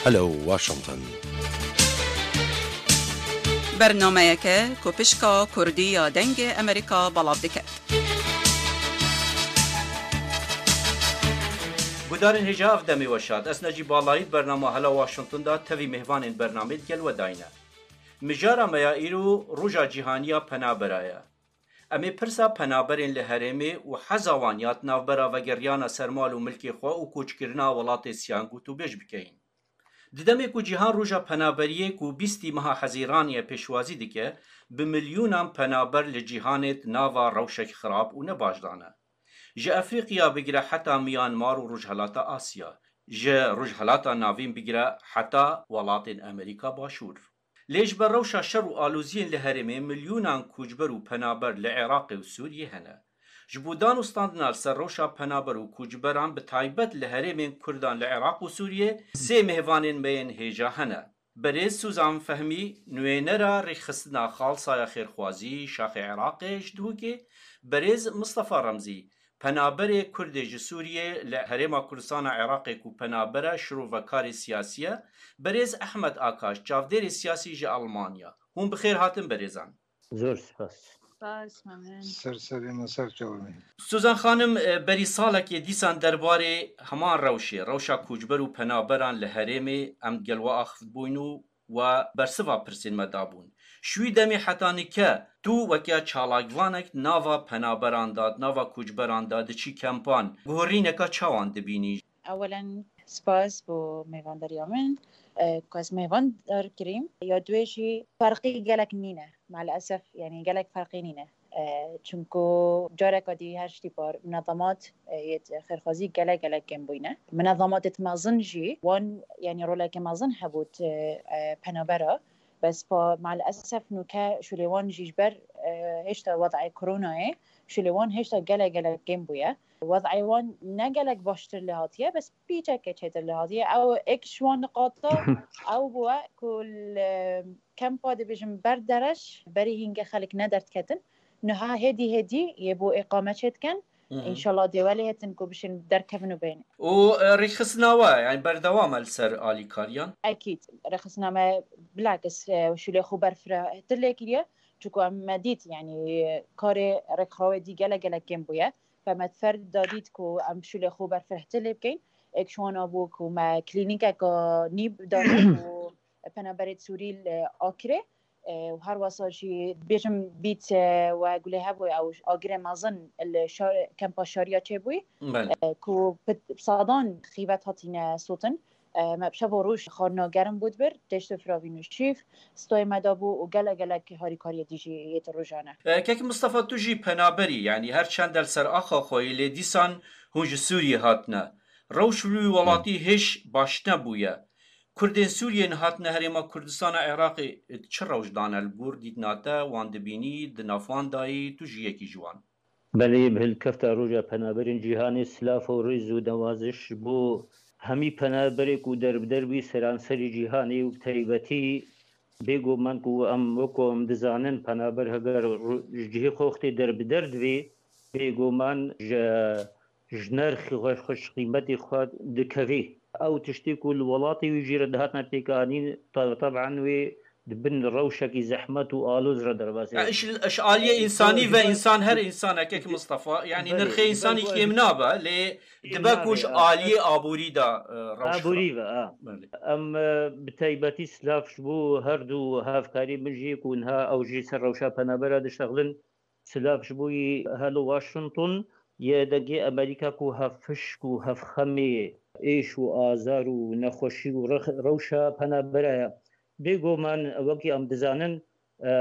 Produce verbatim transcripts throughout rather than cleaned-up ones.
Hello Washington. Bernameyeke ku pişka Kurdî ya Dengê Amerîka belav dike. Gudarên hêja, ev demê we şad. Ez Necîb Balayî di bernama Hela Washington de tevî mêvanên bernamê digel we dayne. Mijara me ya îro Roja Cîhanî ya Penabera ye. Em ê pirsa penaberên li herêmê û heza wan ya di navbera vegeriyana ser mal û milkê xwe û koçkirina welatê siyan gotûbêj bikeyin. Di demê ku cîhan Roja Penaberiyê ku bîstî meha Hezîranê ye pêşwazî dike, bi milyonan penaber li cîhanê di nava rewşek xirab û nebaş de ne. Ji Efrîqiya bigire heta Myanmar û Rojhelata Asya, ji Rojhelata Navîn bigire heta welatên Amerîka Başûr. Lê ji ber rewşa şer û aloziyên li herêmê milyonan koçber û penaber li Iraqê û Sûriyê hene. Ji bo dan û standina li ser rewşa penaber û koçberan bi taybet li herêmên Kurdan li Iraq û Sûriyê sê mêvanên me yên hêja hene. Berêz Suzan Fehmî, nûênera rêkxistina Xalsaya Xêrxwazî Şaxê Iraqê ji Duhokê, berêz Mistefa Remzî, penaberê Kurdê ji Sûriyê li Herêma Kurdistana Iraqê ku penabera şirovekarê siyasî ye, berêz Ehmed Akaş, çavdêrê siyasî ji Elmanya. Hûn bi xêr hatin berêzan. Zor spas. Spas, memnun. Ser serê me, ser çavê me. Suzan Xanim, e, berî salekê dîsan derbarê heman rewşê, rewşa koçber û penaberan li herêmê em gel we axivtbûyn û we bersiva pirsên me dabûn. Ji wî demê heta nike tu weke çalakvanek nava penaberan de, nava koçberan de, diçî kempan, guherîneka çawan dibînî? Ewelen spas bo mêvandariya min, e, ku ez mêvandar kirîm. Ya duê jî ferqî gelek nîne. Maalesef, yanî gelek ferqî nîne. E, çunku careka dî her tîpa minezamat, e, yê xêrxwazî gelek, gelek kêm bûyne. Minezamatêt mezin jî wan, yanî roleke mezin hebût, e, e, penabera. Bes pa maalesef nûke şûlê wan jî ji ber, e, hêşta wedayê koronayê, şûlê wan hêşta gelek, gelek kêm bûye. Wedayê wan ne gelek baştir lê hatiye, bes pîçeke çêtir lê hatiye. Ew êk ji wan niqata ew bûye ku li kempa dibêjin ber dereş, berî hîngê xelk ne derdiketin. Niha hêdî hêdî yê bo îqame çêdikin. Hı hı. Înşallah dê welê hetin ku bişên derkevin û bên. Û, e, rêkxistina we, yani berdewam e li ser alîkariyan? Ekîd. Rêkxistina me bilakis, e, şûlê xwe berfirehtir lê kiriye. Çunku em me dît, yani karê rêkxrawê dî gelek gelek kêm bûye. Fe me fer da dît ku em şûlê xwe berfirehtir lê bikeyn. Êk ji wan a bû ku me klînîkeka nî dane û penaberê Sûrî li Akirê. E, û her wesa jî bêjim bît, e, we gulê hebû ew agirê mezin li şar-, kempa Şariya çêbûyî, Belê. E, ku bi sadan xîvet hatîne sotin. E, me bi şev û roj xwarina germ bû dibir, têştê firavîn û şîf, stoyê me dabû û gelek gelek harîkariyê dî jî yê di rojane. E, Kek Mistefa, tu jî penaberî, yanî her çend li ser axa xwe yî, lê dîsan hûn ji Sûriyê hatine. Rewş li wî welatî hêj baş nebûye. Kurdên Sûriyê nehatine Herêma Kurdistana Iraqê, çi rewş dane li gor dîtina te, wan dibînî, di nav wan dayî, tu jî yekî ji wan? Belê, bi hilkefta Roja Penaberên Cîhanê silav û rêz û newaziş bo hemî penaberê ku derbider bî seranserî cîhanê û bi taybetî bêguman ku em wekû em dizanin penaber heger ru-, ji cihê xwe wextê derbider divê, bêguman ji ji nerxê xwe, xwe ji qîmetê xwe dikevê. Ew tiştê ku li welatê wî jî re dihatine pêkanîn, te-, teban wê di bin rewşekî zehmet û aloz re derbas e. Ya, ji, ji aliyê însanî ve însan, her însanek, Kek Mistefa, yanî Belê, nirxê însanî belê, kêm nabe, lê kêm dibe ku nabe, ji a, aliyê aborî de, e, rewş Aborî xirab. Ve, a. Belê. Em, e, bi taybetî silav ji bo her du hevkarê min jî ku niha ew jî ser rewşa penabera dişexlin, silav ji bo yî Helo Washington, yê dengê Amerîka ku hevpişk û hevxemê êş û azar û nexweşî û rex-, rewşa penabera ye. Bêguman wekî em dizanin, e,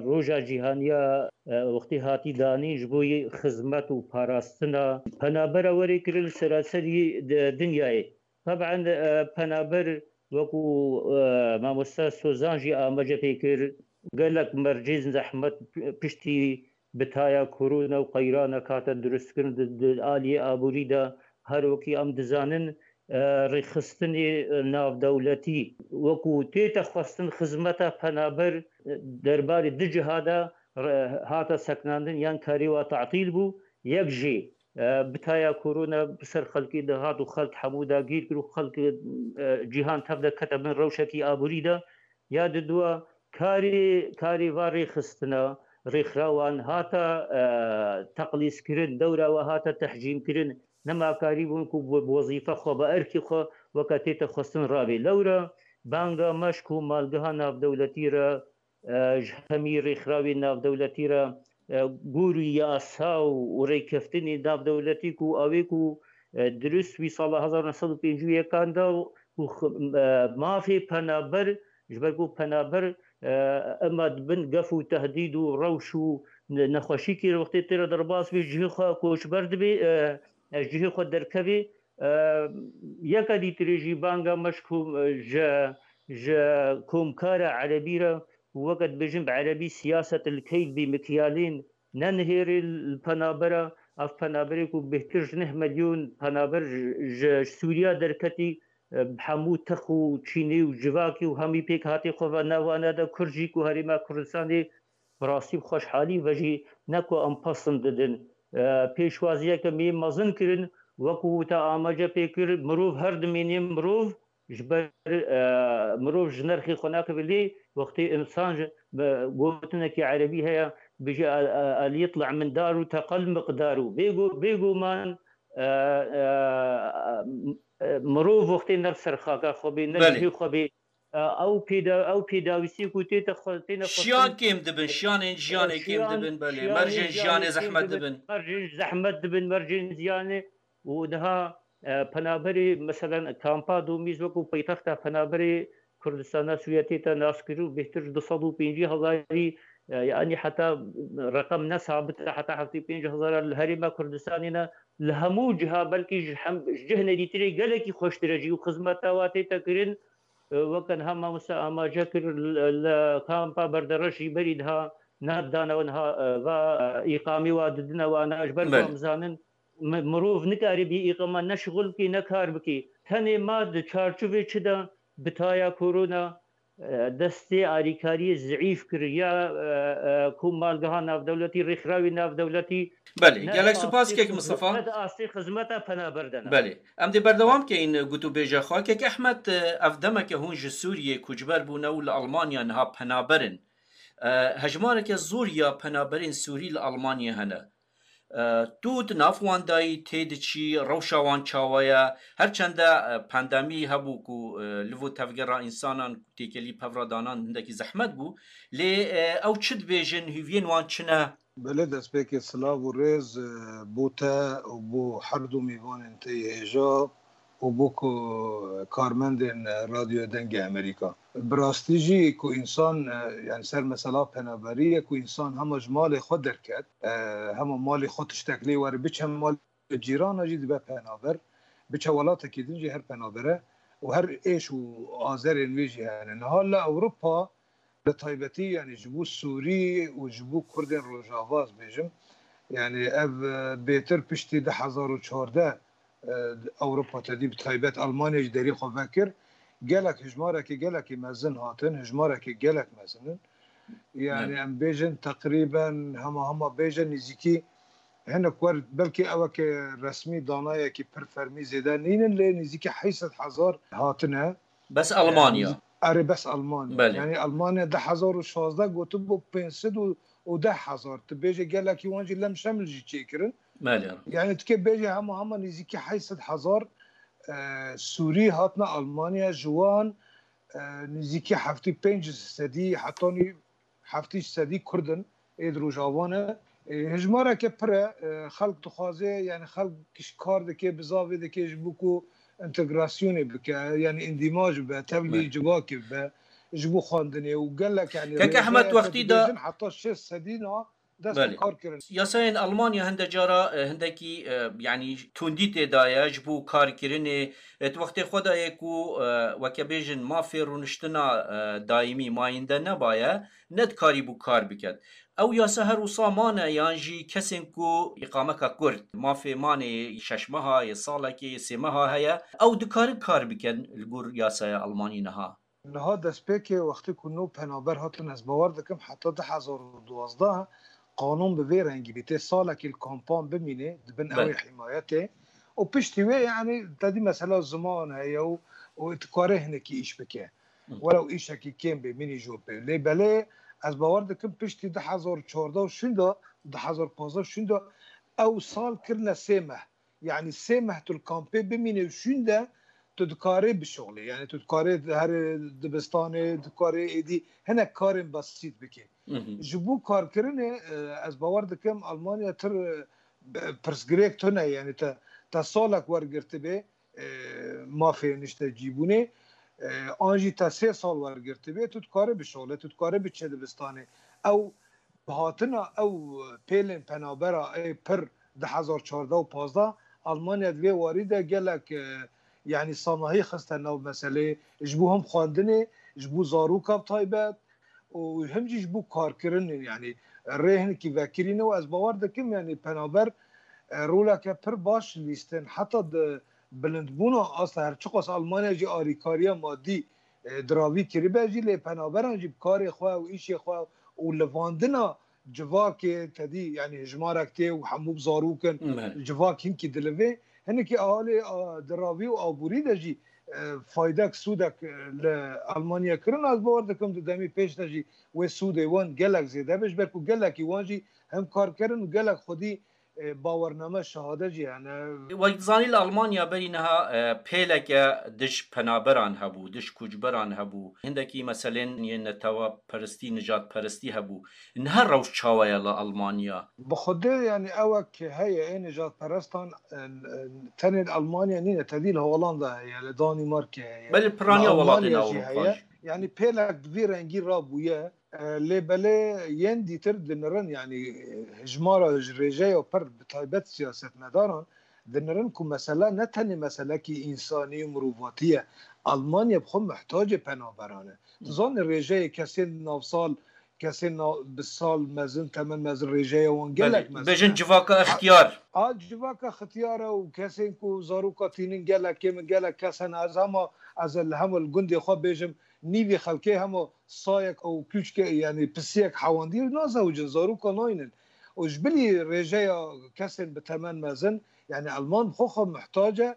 roja cîhaniya, e, wextê hatî danîn ji bo yî xizmet û parastina penabera werê kirin li seranserî di-, dinyayê. Teban, e, penaber wekû, e, mamoste Sozan jî amaje pê kir, gelek mercên zehmet piştî bitaya korona û qeyraneka hate dirustkirin di, di aliyê aborî de, her wekî em dizanin, e, rêxistinê, e, navdewletî wekû tête xwestin xizmeta penaber, e, derbarê du ciha de re-, hate sekinandin yan karê wa tatîl bû, yek jî e, bi taya korona bi ser xelkê de hat û xelk hemû dagîr kir û xelk, e, cîhan tev de kete bin rewşekî aborî de. Ya di dua karê, karê va rêxistina rêxirawan hata, e, teqlîzkirin, dewra we hate tehcîmkirin, nema karîbûn ku bi, bi wezîfe xwe, bi erkê xwe weke tête xwestin rabê. Lewra banga me ji komalgeha navdewletî re, e, ji hemî rêxirawên navdewletî re, e, gorî yasa û, û rêkeftinê navdewletî ku ew ê ku, e, dirust wî sala hezar neh sed û pêncî û yekan de ku x-, e, mafê penaber, ji ber ku penaber, e, ema dibin gef û tehdîd û rewş û ne-, nexweşîkê re wextê tê re derbas bê, ji cihê xwe koçber dibê, e, e, ji cihê xwe derkevê. E, yeke dîtirê jî banga me ji kom-, ji, ji komkara erebî re û weke dibêjin bi erebî siyaset el keyl bi mikyalên nenihêrê li penabera, ev penaberê ku bêhtir ji neh milyon penaber ji, ji Sûriya derketî, e, bi hemû tex û çînê û civakê û hemî pêkhatê xwe ve nav wana de Kurd jî ku Herêma Kurdistanê bi rastî bi xweşhalî ve jî ne ku em pesnd didin. E, pêşwaziyeke me mezin kirin, wekû te amaje pê kir, mirov her dimînê mirov, ji ber, e, mirov ji nerxê xwe nakibe lê wextê însan ji, bi gotinekî erebî heye, bijî, e, e, el yitla min dar û teqel miqdar û bêgo-, bêguman, e, e, e, mirov wextê ne ser xaka xwe bê, ne Belê. cihê xwe bê, e, ew pêda-, ew pêdawîsî ku tête xwe, têne xwestin, Şiyan kêm dibin, şiyanên jiyanê e, kêm şiyan, dibin, belê. şiyanê Mercên jiyanê jiyanê kêm zehmet dibin, dibin. mercên zehmet dibin, mercên ziyanê û daha, e, penaberê, meselen, kampa Domîz wekû paytexta penaberê Kurdistana Sûriye tête naskirin û bêhtir ji du sed û pêncî hezarî, e, yanî heta reqem ne sabit e, heta heftê pênc hezar li Herêma Kurdistanê ne, li hemû ciha, belkî ji hem, ji cih nedîtirê gelekî xweştir e jî û xizmeta wa tête kirin, e, weke niha mamoste amaje kir, li, li kampa Berdereş jî berî niha ne dane we niha, e, va, e, îqamê wa didine wana, ji ber ku Belê. em zanin, mi-, mirov nikare bê îqama ne şixul bikî, ne kar bikî. Tenê ma di çarçovê çi de bi taya korona, e, destê alîkariyê zeîf kir ya, e, e, komalgeha navdewletî, rêxirawî navdewletî Belê, ne gelek spas kek Mistefa. Ne di astê xizmeta penaber de ne. Belê. Em dê berdewam keyin gotûbêja xwe. Kek Ehmed, e, ev demeke hûn ji Sûriyê koçber bûne û li Almanya niha penaber in. E, hejmareke zor ya penaberên Sûrî li Almanyê hene. E, tu di nav wan dayî tê diçî, rewşa wan çawa ye? Her çende, e, pandemî hebû ku, e, li vo tevgera însanan têkelî pevra danan hindekî zehmet bû. Lê, e, ew çi dibêjin, hîviyên wan çi ne? Belê, destpêkê silav û rêz, e, bo te û bo her du mîvanên te yê hêja û bo ku karmendên Radyoya Dengê Amerîka. Bi rastî jî ku însan, e, yani ser mesela penaberî ye ku însan hema ji malê xwe derket, e, hema malê xwe tiştek lê were, biçe malê cîrana jî dibe penaber, biçe welatekî din jî her penaber e û her êş û azerên wê jî hene. Niha li Ewropa bi taybetî, yani ji bo Sûrî û ji bo Kurdên Rojava ez bêjim, yani ev, e, bêtir piştî du hezar û çardeh, e, Ewropa tedî bi taybet Almanya ji derî xwe vekir. Gelek hijmarekî gelekî mezin hatin, hijmarekî gelek mezin in. Yani Evet. em bêjin teqrîben hema hema bêjin nêzîkî hinek wer belkî eweke resmî danayekî pir fermî zêde nînin lê nêzîkî heyşt sed hezar hatine. Bes Almanya. Erê, bes Almanya. Belê. Yani Almanya du hezar û şazdeh gotibû pênc sed û deh hezar. Tu bêje gelekî wan jî lem şemil jî çêkirin. Belê. Yani tu kê bêje hema hema nêzîkî heyşt sed hezar, e, Sûrî hatine Almanya, ji wan, e, nêzîkî heftê pênc sedî hetanî heftê sedî Kurd in ê di Rojava ne. E, hejmareke pir e, e, xelk dixwaze, yani xelk kiş kar dike, bizavê dike ji bo ku entegrasyonê bike, yani îndîmaj bibe, tevlî Belê. civakê bibe, ji bo xwendinê û gelek, yani Kek Ehmed rêzeyeke wextî da dibêjin heta şêst sedî na dest bi Belê. kar kirin. Yasayên Almanya hinde cara, e, hindekî, e, yani tundî tê daye ji bo karkirinê, e, di wextê xwe de ye ku, e, weke bêjin mafê rûniştina, e, daîmî mayînde nebaye, ne dikarîbû kar biket. Ew yasa her wisa mane yan jî kesên ku îqameka kurt, mafê manê şeş meha, yê salekê, yê sê meha heye, ew dikarin kar bikin li gor yasaya Almanî niha. Niha destpêkê wextê ku nû penaber hatin, ez bawer dikim heta du hezar û duwazdeh qanûn bi vê rengî bî, tê salekî li kampan bimînê, di bin ew ê himayetê û piştî wê, yanî, te dî mesela ziman heye û, û dikare hinekî îş bike. Welew îşekî kêm bê, mînî jî pê. Lê belê ez bawer dikim piştî du hezar çardeh şûnda, du hezar pazdeh şûnda ew sal kirine sê meh. Yanî sê meh tu li kampê bimînî û şûnde tu dikarê bişoxlê. Yanî tu dikarê herê dibistanê, dikarê êdî hinek karên besît bikê. Ji bo karkirinê, e, ez bawer dikim Almanya tir, e, pirsgirêk tune, yanî te, te salek wergirtibê, e, mafê niştecîbûnê, e, an jî te sê sal wergirtibê, tu dikarê bişoxlê, tu dikarê biçe dibistanê. Ew bi hatina ew pêlên penabera ê pir du hezar çardeh û pazdeh, Almanya di vê warî de gelek, e, yanî sanahî xiste nav meselê, ji bo him xwendinê, ji bo zaroka bi taybet û him jî ji bo karkirinê, yanî rê hinekî vekirîne û ez bawer dikim, yanî penaber, e, roleke pir baş lîstin. Heta di bilindbûna asta her çiqas Almanya jî alîkariya madî, e, diravî kiribe jî, lê penaberan jî bi karê xwe û îşê xwe û livandina civakê te dî, yanî hejmarek tê û hemû bi zarok in, civak hinkî dilivê. Hinekî ahalê, a, di ravî û aborî de jî, e, faydek, sûdek, e, li Almanya kirin. Ez bawer dikim di demî pêş de jî wê sûdê wan gelek zêde be, ji ber ku gelekî wan jî hem kar kirin û gelek xwedî, e, bawername, şehade jî hene. Wek dizanî li Almanya berî niha, e, pêleke dij penaberan hebû, dij koçberan hebû. Hindekî meselên yên neteweperestî, nijadperestî hebû. Niha rewş çawa ye li Almanya? Bi xwedê, yanî ewek heye, ê nijadperestan, e, e, tenê li Almanya nîne, tevî li Holanda heye, li Danîmarkê heye. Belê piraniya welatên Ewropa jî heye. Yanî pêlek bi vî rengî rabûye. E, lê belê yên dîtir dinirin, yanî, e, hejmara ji rêjeya pir, bi taybet siyasetmedaran, dinirin ku mesele ne tenê meselekî însanî û mirovatî ye. Almanya bi xwe mihtacê penaberan e. Tu zanî rêjeyê kesên navsal, kesên na-, bi sal mezin, temen mezin, rêjeya wan gelek mezin e. Bêjin civaka extiyar. A, a civaka xitiyar e û kesên ku zaroka tînin gelek kêm in, gelek kes hene. Ez hema, ez li hema li gundê xwe bêjim, nîvê xelkê hema sayek û kûçke, yanî pisiyek hewandî nazewicin, zaroka naynin. Û ji bilî rêjeya kesên bi temen mezin, yanî Alman bi xwe xwe muhtac e,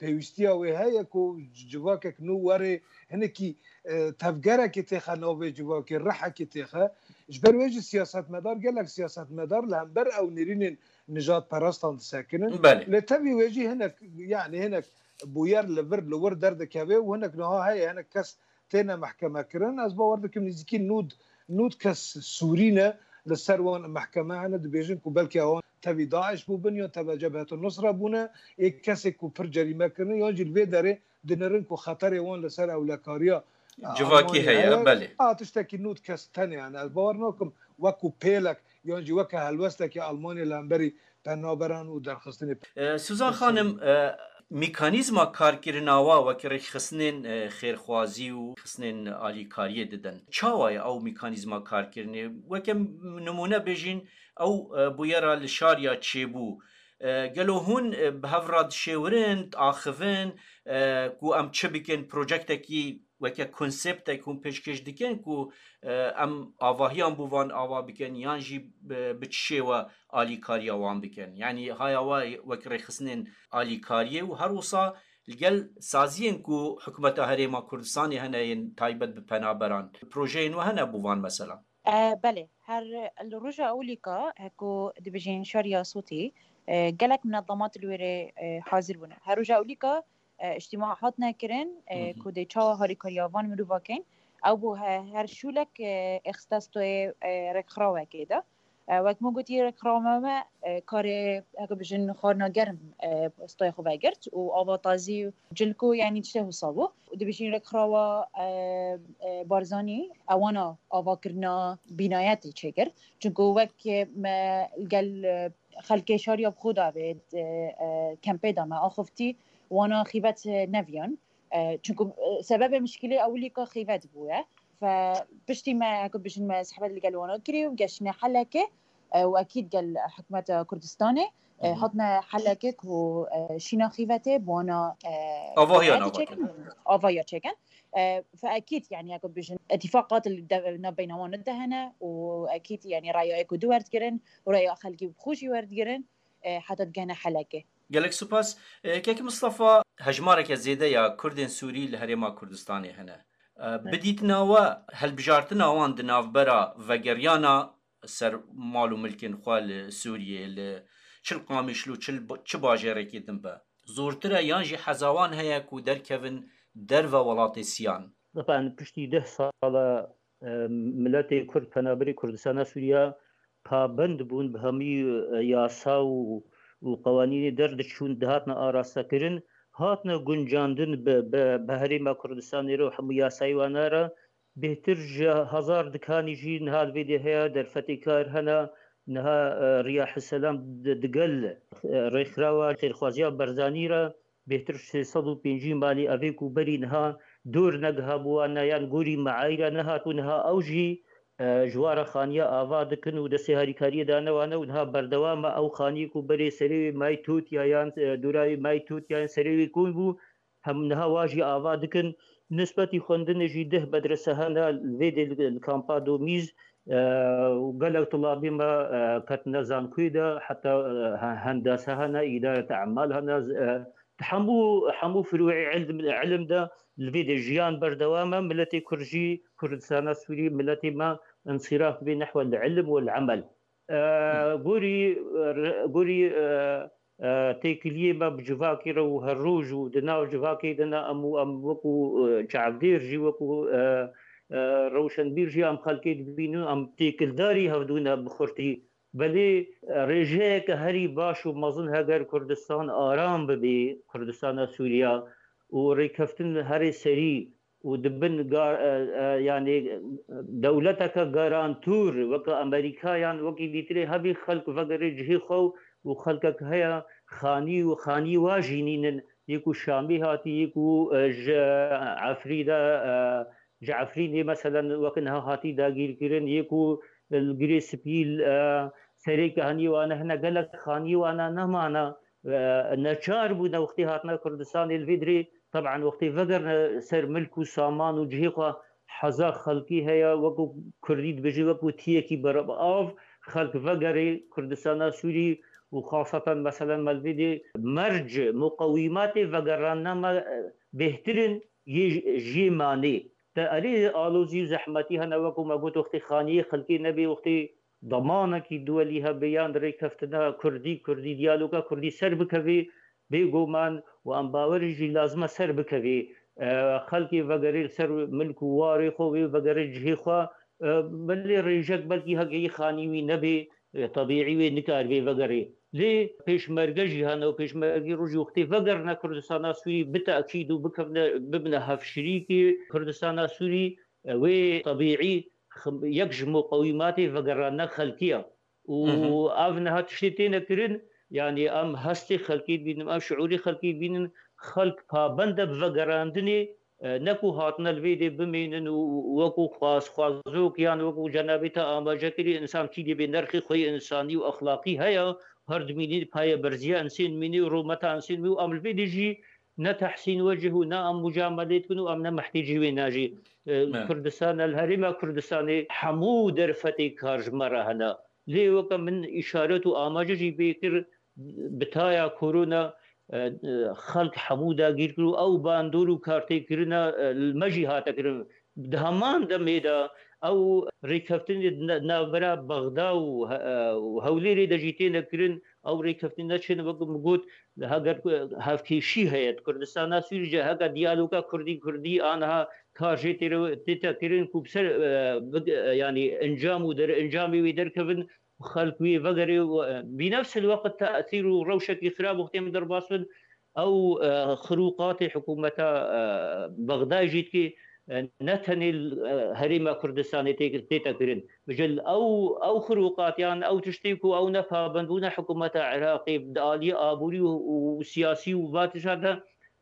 pêwîstiya wê heye ku civakek nû were hinekî, e, tevgerekê têxe navê civakê, rihekê têxe. Ji ber wê jî siyasetmedar, gelek siyasetmedar li hember ew nêrînên nijadperestan disekinin. Belê. Lê tevî wê jî hinek, yanî hinek bûyer li vir, li wir derdikeve û hinek niha heye, hinek kes têne mehkeme kirin. Ez bawer dikim nêzîkî nod, nod kes sûrî ne li ser wan mehkeme hene, dibêjin ku belkî ewan tevî DAIŞ bûbin yan tevî Cebhetu Nusra bûne, ê kesê ku pir cerîme kirine yan jî li vê derê dinirin ku xeterê wan li ser ewlekariya, e, civakî Almanya heye, heye. Belê. A tiştekî nod kes tenê hene. Ez bawer nakim wekû pêlek yan jî weke helwestekê Almanya li hemberî penaberan û derxistinê. E, Suzan Xanim, e, mekanîzma karkirina wa wekî rêxistinên, e, xêrxwazî û xistinên alîkariyê didin. Çawa ye ew mekanîzma karkirinê? Weke nimûne bêjin, ew, e, bûyera li Şariya çêbû. E, gelo hûn, e, bi hev re dişêwirin, diaxivin, e, ku em çi bikin, projektekî weke konseptek hûn pêşkêş dikin ku, e, em avahiyan bo van ava bikin yan jî bi, bi çi şêwe alîkariya wan bikin? Yanî haya we wek rêxistinên alîkariyê û her wisa li gel saziyên ku hikûmeta Herêma Kurdistanê hene yên taybet bi penaberan, projeyên we hene bo van mesela? E, belê, her li roja ewilîka, e, ku dibêjin Şariya Sotî, e, gelek minezemat li wê rê, e, hazir bûne. Her roja ewilîka, e, îctîma hatine kirin, e, Hı hı. ku dê çawa harîkariya van mirova kein. Ew bû he-, her şûlek, e, êxiste stoyê, e, rêkxirawekê de. E, wek min gotî, rêkxirawa me, e, karê, heke bijin, xwarina germ, e, stoyê xwe vegirt û ava tazî û cilk û, yanî, tiştê wisa bû. Û dibêjin rêkxirawa, e, e, Barzanî, ewana avakirina bînayetê çêkir. Çunku wek me gel, e, xelkê Şariya bi xwe de avêt, e, e, kempê de me axuftî, wana xîbet, e, neviyan. E, çunku, e, sebebê mişkilê ewilîka xîbet bûye. Fe piştî me, heke bijin, me sehbet li gel wana kirî û geştine helekê, e, û ekîd gel hikûmeta Kurdistanê, E, hatine Helekê ku, e, şîna xîvetê bi wana, e, Avahiya nava çêkin, avahiya çêkin. E, fe ekîd, yani, ya ku bijin, itîfaqat li de-, navbeyna wan de hene û ekîd, yani, raya ê ku du werdigirin û raya xelkî bi xwe jî werdigirin, e, heta digihene Helekê. Gelek spas. E, Kekî Mistefa, hejmareke zêde ya Kurdên Sûrî li Herêma Kurdistanê hene. E, Evet. Bi dîtina we, hilbijartina wan di navbera vegeriyana ser mal û milkên xwe li Sûriyê, li çil Qamîşlo, çil, çi bajêrekê din be, zortir e yan jî heza wan heye ku derkevin derve welatê Siyan? Taban piştî deh sala, e, miletê Kurd, penaberê Kurdistana Sûriya pabend bûn bi hemî, e, yasa û, û qewanînê derdiçûn, dihatne arastekirin, hatine guncandin bi, bi, bi Herêma Kurdistanê re û hemû yasayê wana re. Bêhtir ji hezar dikanî jî niha li vê dê heye, derfetê kar hene, niha, e, Riya Hiselam di-, digel, e, rêkxirawa xêrxwaziya Berzanî re bêhtir sê sed û pêncî malî evê ku berî niha dor negihabû wan ne, yan gorî meayîra nehat û niha ew jî, e, ji wan re xaniya ava dikin û destê harîkariyê dane wan e û niha berdewam e. Ew xaniyê ku berê serê wê mayî totiya yan, e, dora wê mayî totiya yan serê wê kom bû, hem niha wa jî ava dikin. Nisbetî xwendinê jî deh medrese hene, li vê dê li, li kampa Domîz, e, û gelek tulabê me, e, ketine zankoyê de, heta, e, he-, hendase hene, îdareta emal hene, e, di hemû, hemû firûê ilm, ilim de li vê dê jiyan berdewam e. Miletê Kurd jî, Kurdistana Sûrî, miletê me insîraf bê nehwe li ilim û li emel. E, gorî, e, re-, gorî, e, e, têkiliyê me bi civakê re û her roj û di nav civakê de ne em û em wekû, e, çavdêr jî, wekû, e, e, rewşenbîr jî em xelkê dibînin, em têkildarî hevdû ne bi xurtî. Belê, e, rêjeyeke herî baş û mezin heger Kurdistan aram bibê, Kurdistana Sûriya û rêkeftin herê serî û di bin ga-, e, e, yanî dewleteke garantûr weke Amerîka yan wekî dîtirê hebî xelk vegerê cihê xwe û xelkek heye xanî û xanî wa jî nînin, yê ku Şamî hatî, yê ku, e, ji Efrî de, e, ji Efrînê meselen weke niha hatî dagîrkirin, yê ku li Girê Spî, e, serê kehanî wane hene, gelek xanî wana nemana, e, neçar bûne wextê hatine Kurdistanê li vê dirê. Teban wextê vegerine ser milk û saman û cihê xwe, heza xelkî heye, wekû Kurdî dibêje, wekû tiyekî beribav xelk vegerê Kurdistana Sûrî û xaseten meselen me li vê dê merc muqewîmatê vegerandina me, e, bêhtir in yê j-, jê manê. Te erê alozî û zehmetî hene, wekû me got, wextê xaniyê xelkê nebê, wextê demanekî duwelî hebe yan rêkeftina Kurdî, Kurdî diyaloga Kurdî ser bikevê, bêguman û em bawer in jî lazim e ser bikevê. E, xelkê vegerê li ser milk û warê xwe, wê vegerê cihê xwe. E, belê rêjek belkî heke yê xanî wî nebê, e, tebîî wê nikaribê vegerê. Lê pêşmerge jî hene û pêşmergê rojî wextê vegerine Kurdistana Sûrî bi tekîd û bikevine, bibine hevşirîkê Kurdistana Sûrî, e, wê tebîî xim-, yek ji muqewîmatê vegerandina xelkî ye. Û Hı hı. ev niha tiştê têne kirin, yanî em hestê xelkê dibînin, em şiûrê xelkê dibînin, xelk pabend e bi vegerandinê, e, ne ku hatine li vê dê bimînin û, û wekû xwazxwazok yan wekû cenabê te amaje kirî, însan kî dê bê nerxê xwe yê însanî û exlaqî heye, her dimînî paye berziya insên mînî û rûmeta insên mî û em li vê dê jî ne tehsîn wecih û ne em mucamelê dikin û em ne mehtêcî wê ne jî. E, Evet. Kurdistan, li herêma Kurdistanê hemû derfetê kar ji me re hene. Lê weke min îşaret û amaje jî pê kir, bi taya korona, e, e, xelk hemû dagîr kir û ew bandor û kartêkirina, e, li me jî hate kirin. Di heman demê de ew rêkeftinê di na-, navbera Bexda û he-, e, û Hewlêrê de jî têne kirin. Ew rêkeftinê çin, wek min got, heger ku hevkêşî heye di Kurdistana Sûrî de, heger diyaloga Kurdî Kurdî aniha kar jê tê re, tête kirin ku bi ser, e, big-, e, yanî encam û derencamê wê derkevin, xelk wê vegerê û, e, bi nefs el-weqt tesîr û rewşekî xirab wextê em derbas bin, ew, e, xirûqatê hikûmeta, e, Bexdayê jî dikê, e, ne tenê li, e, herêma Kurdistanê tê, tête kirin. Bijil ew, ew xirûqatiyan, ew tiştê ku ew nepabendbûna hikûmeta Iraqê di aliyê aborî û, û siyasî û va tişta de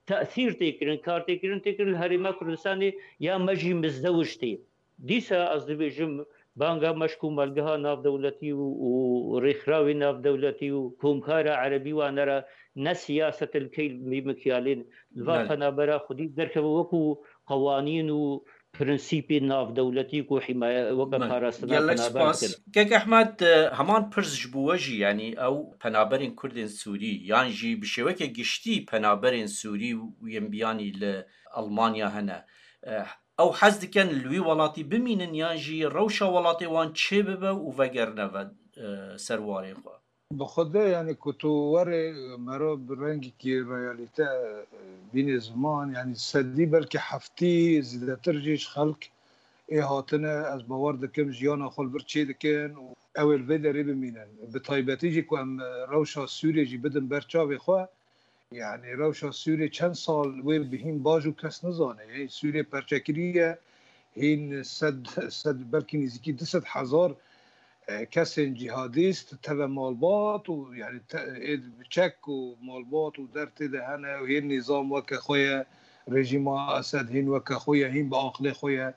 tesîr tê kirin, kar tê kirin, tê kirin li herêma Kurdistanê ya me jî mizdewij tê. Dîsa ez dibêjim, Banga meşk û malgeha navdewletî û, û rêxrawê navdewletî û komkara erebî wane re ne siyaset li key mî mikyalên li va Belê. Penabera xwedî derkeve wekû qewanîn û prensîpê navdewletî ku hîmaye weke Belê. Parastina Gelek penaber spas. Dikin. Kek Ehmed, e, heman pirs ji bo we jî, yanî ew penaberên Kurdên Sûrî yan jî bi şêweke giştî penaberên Sûrî û yên biyanî li Almanya hene. E, ew hez dikin li wî welatî bimînin yan jî rewşa welatê wan çêbibe û vegerine ve, e, ser warên xwe? Bi xwedê, yanî ku tu werê mero bi rengekî realîte, e, bînê ziman, yanî sedî belkî heftî zêdetir jî ji xelk ê hatine, ez bawer dikim jiyana xwe li vir çêdikin û ew ê li vê derê bimînin. Bi taybetî jî ku em, e, rewşa Sûriyê jî bidin ber çavê xwe, yanî rewşa Sûriyê çend sal wê bi hîn baş û kes nizane. Yanî Sûriyê perçekirî ye, hîn sed, sed, belkî nêzîkî du sed hezar, e, kesên cîhadîst teve malbat û, yanî te-, ê bi çek û malbat û der tê de hene û hê nîzam weke xwe ye, rejîma Esed hîn weke xwe ye, hîn bi aqilê xwe ye.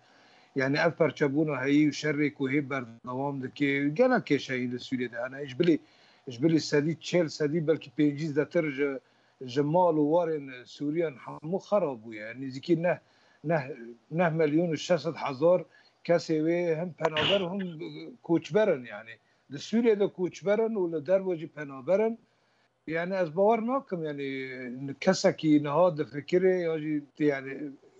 Yanî ev perçebûna heyî û şerê ku hê berdewam dike, gelek kêşeyî li Sûriyê de hene. Ji bilî, ji bilî sedî çil, sedî belkî pêncî zêdetir ji, ji mal û warên Sûriyan hemû xera bûye. Nêzîkî neh, neh, neh milyon û şeş sed hezar kesê wê him penaber him koçber in, yanî. Di Sûriyê de koçber in û li derve jî penaber in. Yanî ez bawer nakim, yanî kesekî niha difikire ya jî, yanî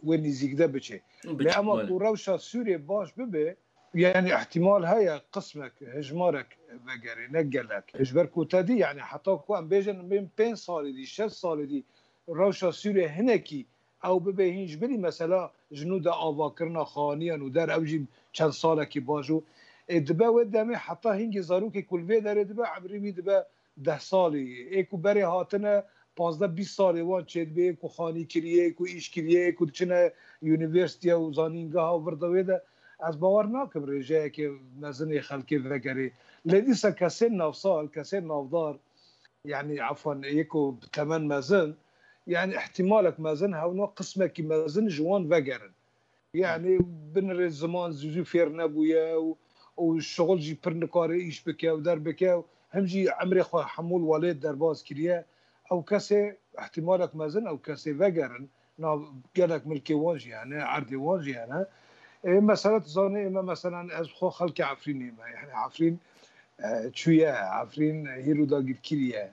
wê nêzîk de biçe. Lê ema ku rewşa Sûriyê baş bibe, yanî ihtimal heye qismek, hejmarek vegerê, ne gelek. Ji ber ku te dî, yanî heta ku em bêjin, bên pênc salî dî, şeş salî dî rewşa Sûriyê hinekî ew bibe hîn ji bilî mesela ji nû de avakirina xaniyan û der ew jî çend salekî baş û ê dibe wê demê heta hingê zarokê ku li vê derê dibe emrî wî dibe deh salî. Ê ku berê hatine pazdeh bîst salê wan çêdibê, ê ku xanî kiriye, ê ku îş kiriye, ê ku diçine unîversîtiye û zanîngeha vir de wê de. Ez bawer nakim rêjeyeke mezin ê xelkê vegerê. Lê dîsa kesên navsal, kesên navdar, yanî efan ê ku bi temen mezin, yanî ihtimalek mezin hewna qismekî mezin ji wan vegerin. Yanî binirê ziman zû zû fêr nebûye û, û şixul jî pir nikare îş bike û derbike û him jî emrê xwe hemû li welêt derbas kiriye. Ew kesê ihtimalek mezin ew kesê vegerin. Nav gelek milkê wan jî hene, erdê wan jî hene. Ê, mesela tu zanî, ê me, meselan, ez xwe xelkê Efrînê me. Yanî Efrîn, e, çûye, Efrîn hîro dagirkirî ye.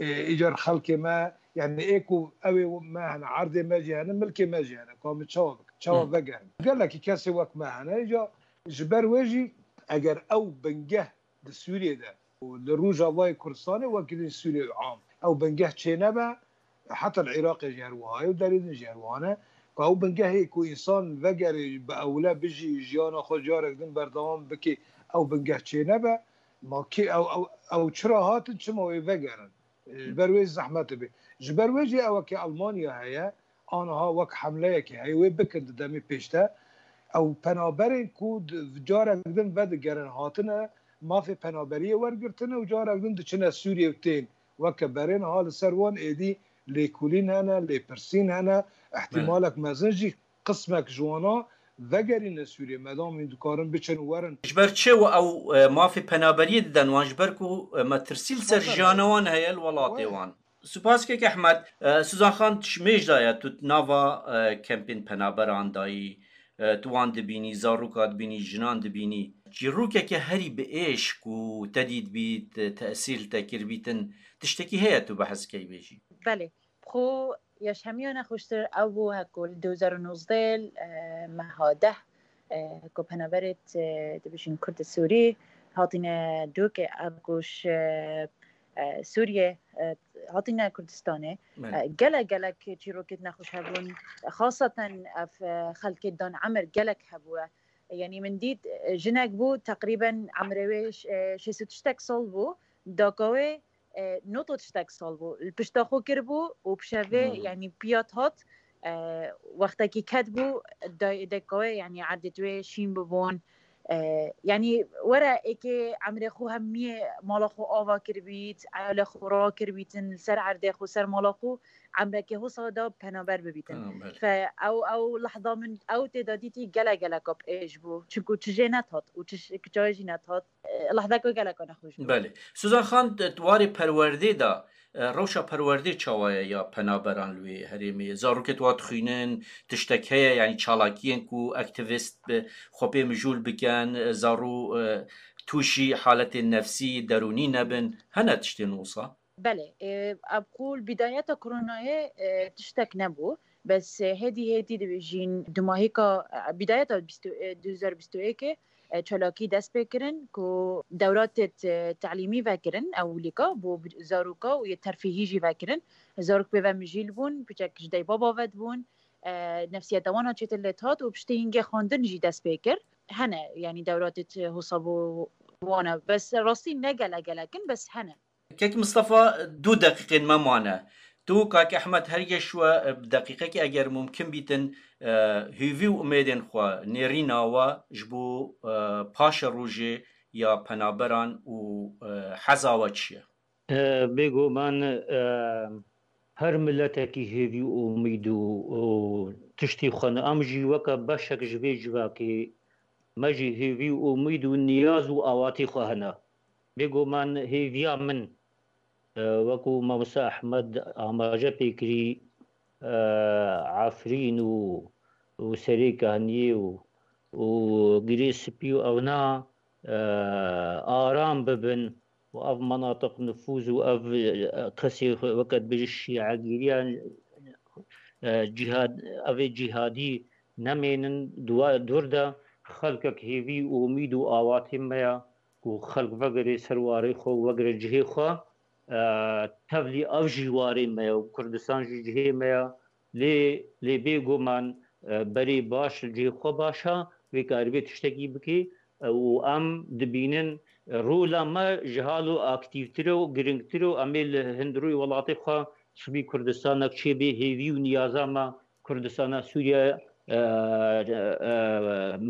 Ê, îcar xelkê me, yanî ê ku ew ê me hene, erdê me jî hene, milkê me jî hene. Ka min çawa bikim? Çawa Hı. vegerim? Gelekî kesê wek me hene. Îcar ji ber wê jî eger ew bingeh di Sûriyê de û li Rojavayê Kurdistanê wekî din Sûriyê am. Ew bingeh çênebe, heta li Iraqê jî her wiha ye û derê din jî her wiha ne. Ka ew bingehê ku însan vegerê bi ewle bijî, jiyana xwe carek din berdewam bike, ew bingeh çênebe, ma kê ew, ew, ew çira hatin, çima wê vegerin? Ji ber wê zehmet dibe. Ji ber wê jî ewekê Almanya heye, aniha wek hemleyekê heye, wê bikin di demê pêş de. Ew penaberên ku di, carek din vedigerin hatine, mafê penaberiyê wergirtine û carek din diçine Sûriyê û tên weke berê. Niha li ser wan êdî lêkolîn hene, lêpirsîn hene, ihtimalek mezin jî qismek ji wana vegerîne Sûriyê, medam hîn dikarin biçin û werin. Ji ber çi we ew, e, mafê penaberiyê didin wan? Ji ber ku, e, metirsî li ser Tabii. jiyana wan heye li welatê Wê. wan. Spas kek Ehmed, e, Suzan Xan, tu ji mêj de ye, tu nava, e, kempên penaberan dayî, e, tu wan dibînî, zaroka dibînî, jinan dibînî. Çîrokeke herî bi êş ku te dîtbît, e, tesîr li te kiribîtin, tiştekî heye tu behs key bêjî? Belê. Xwe ya ji hemiyan xweştir ew bû heko li du hezar û nozdeh, e, meha deh, e, ku penaberêt, e, dibêjin Kurd Sûrî, hatine dûkê ev ku ji, e, e, Sûriyê, e, hatine Kurdistanê. Belê. E, gelek, gelek çîrokêt nexweş hebûn. Xaseten ev, e, xelkê dan emir gelek hebûye. Yanî min dît, e, jinek bû, teqrîben emrê wê ş-, e, şêst û tiştek sal bû. Daka wê, e, nod û tiştek sal bû. Li pişta xwe kiribû û pişevê, Hmm. yanî piyat hat, e, wextekî ket bû, day-, deka wê, yanî erdê wê şîn bibûn. E, yanî were êkê emrê xwe hemiyê mala xwe ava kiribît, eyalê xwe rakiribîtin, li ser erdê xwe, ser mala xwe, emrekê hosa da penaber bibîtin. Tamam, belê. Fe ew, ew lehza min ew tê de dîtî gelek geleka pêş bû. Çunku çi jê netat û çi ş-, çi jî netat. E, lehdeke geleka nexweş bû. Belê. Suzan Xan, di warê perwerdê de, e, rewşa perwerdê çawa ye ya penaberan li wê herêmê? Zarokê tu wa dixwînin, tiştek heye, yanî çalakiyên ku aktivîst bi xwe pê mijûl bikin, e, zaro, e, tûşî haletên nefsî, derûnî nebin? Hene tiştên wisa? Belê, e, ev ku li bidayeta koronayê, e, tiştek nebû. Bes, e, hêdî hêdî dibêjin dumahîka, e, bidayeta bîst, e, du hezar bîst û yekê, e, çalakî dest pê kirin ku dewra te-, te-, telîmî vekirin ewilîka bo bi-, zaroka û yê terfîhî jî vekirin. Zarok pê ve mijîl bûn, piçek ji dey baba ve dibûn, e, nefsiyeta wan a çêtir lê dihat û piştî hingê xwendin jî dest pê kir. Hene, yanî dewra te-, te-, hosa bo wana. Bes rastî ne gelek gelek in, bes hene. Kek Mistefa, du deqîqên me mane. Tu, Kak Ehmed, her geş we, e, bi deqîqekî eger mumkin bîtin, e, hêvî û umêdên xwe nêrîna we ji bo, e, paşe rojê ya penaberan û, e, heza we çi ye? E, bêguman, e, her miletekî hêvî û umîd û, û tiştî xwe ne. Em jî weke beşek ji vê civakê me jî hêvî û umîd û niyaz û awatî xwe hene. Bêguman hêviya min, e, wekû Mamoste Ehmed amaje pê kirî, e, Efrîn û, û Serê Kehniyê û, û Girê Spî û ewna, e, aram bibin û ev menatiq nifûz û ev, e, kesê xwe weke dibêje şîegîriya, e, cîhad, ev ê cîhadî nemênin, dua-, dûr de xelkek hêvî û umîd û awatê me ya ku xelk vegere ser warê xwe û vegere cihê xwe, e, tevlî ev jî warê me ya û Kurdistan jî cihê me ya. Lê, lê bêguman, e, berê baş li cihê xwe baş a, wê karibê tiştekî bikê, e, û em dibînin, e, rola me ji halo aktîvtir e û giringtir e û em ê li hundirûyê welatê xwe sibî Kurdistanek çêbê, hêvî û niyaza me Kurdistana Sûriye, e, e,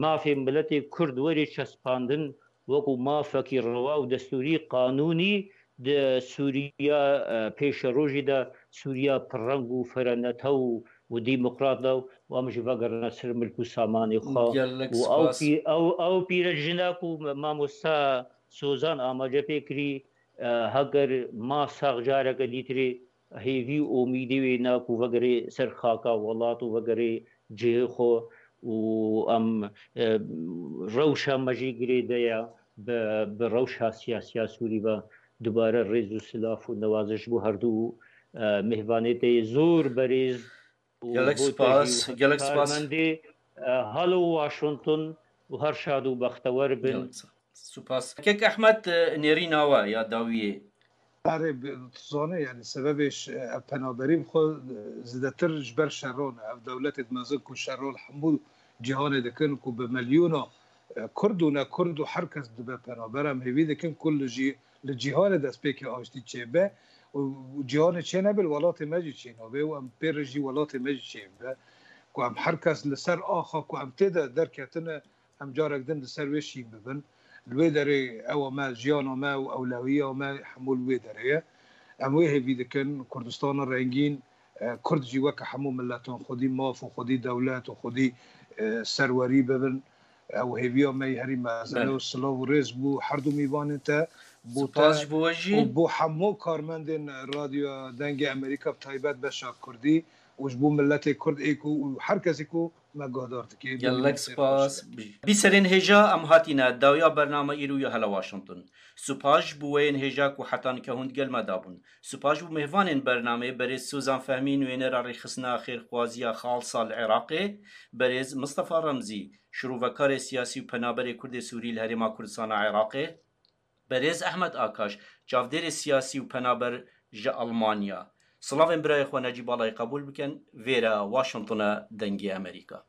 mafê miletê Kurd were çespandin wekû mafekî rewa û destûrî, qanûnî di Sûriya, e, pêşerojê de Sûriya pirreng û firenetew û demokrat de û em jî vegerine ser milk û samanê xwe. Gelek û ew spas. Pî-, ew, ew pîre jina ku mamosta Sozan amaje pê kirî, e, heger ma sax careke dîtirê hêvî û umîdê wê ne ku vegerê ser xaka welat û vegerê cihê xwe û em, e, rewşa me jî girêde ye bi, bi rewşa siyasiya Sûrî ve. Dubare rêz û silav û newaziş bo herdu, e, mêhvanê te yê zor berêz û gelek bo te spas, jî gelek spas. Karmendê, e, halo Washington û her şad û bextewer bin. Gelek spas. Spas. Kek Ehmed, e, nêrîna we ya dawiyê. Erê, bi-, tu zanî, yanî sebebê ş-, ev penaberî bi xwe, e, zêdetir ji ber şeran e. Ev dewletê mezin ku şero li hemû cîhanê dikin, ku bi milyona, e, Kurd û ne Kurd û her kes dibe penaber. Em hêvî dikin ku li jî-, li cîhanê destpêkê aştî çêbe û cîhanê çênebe, li welatê me jî çênabe û em pê re jî welatê me jî çêbe. Ku em her kes li ser axa ku em tê de derketine, em carek din li ser wê şîn bibin. Li wê derê ewa me, jiyana me û ewlewiya me hemû li wê derê ye. Em wê hêvî dikin, Kurdistana rengîn, e, Kurd jî weke hemû miletan xwedî maf û xwedî dewlet û xwedî, e, serwerî bibin. Ew hêviya me yî herî mezin e û silav û rêz bo her du mîvanên te, bo te û bo hemû karmendên Radyoya Dengê Amerîka, bi taybet beşa Kurdî û ji bo miletê Kurd ê ku û her kesê ku me guhdar dike. Gelek spas. Bî serên hêja em hatîne dawiya bername îro ya Hela Washington. Spas ji bo wê yên hêja ku heta nika hûn digel me dabûn. Spas ji bo mêvanên bernameyê, berêz Sozan Fehmî, nûênera rêxistina xêrxwaziya xalsa li Iraqê, berêz Mistefa Remzî, şirovekarê siyasî û penaberê Kurdê Sûrî li Herêma Kurdistana Iraqê, berêz Ehmed Akaş, çavdêrê siyasî û penaber ji Almanya. Silavên birayê xwe Necîb Balayê qebûl bikin, vêre Washingtone Dengê Amerîka.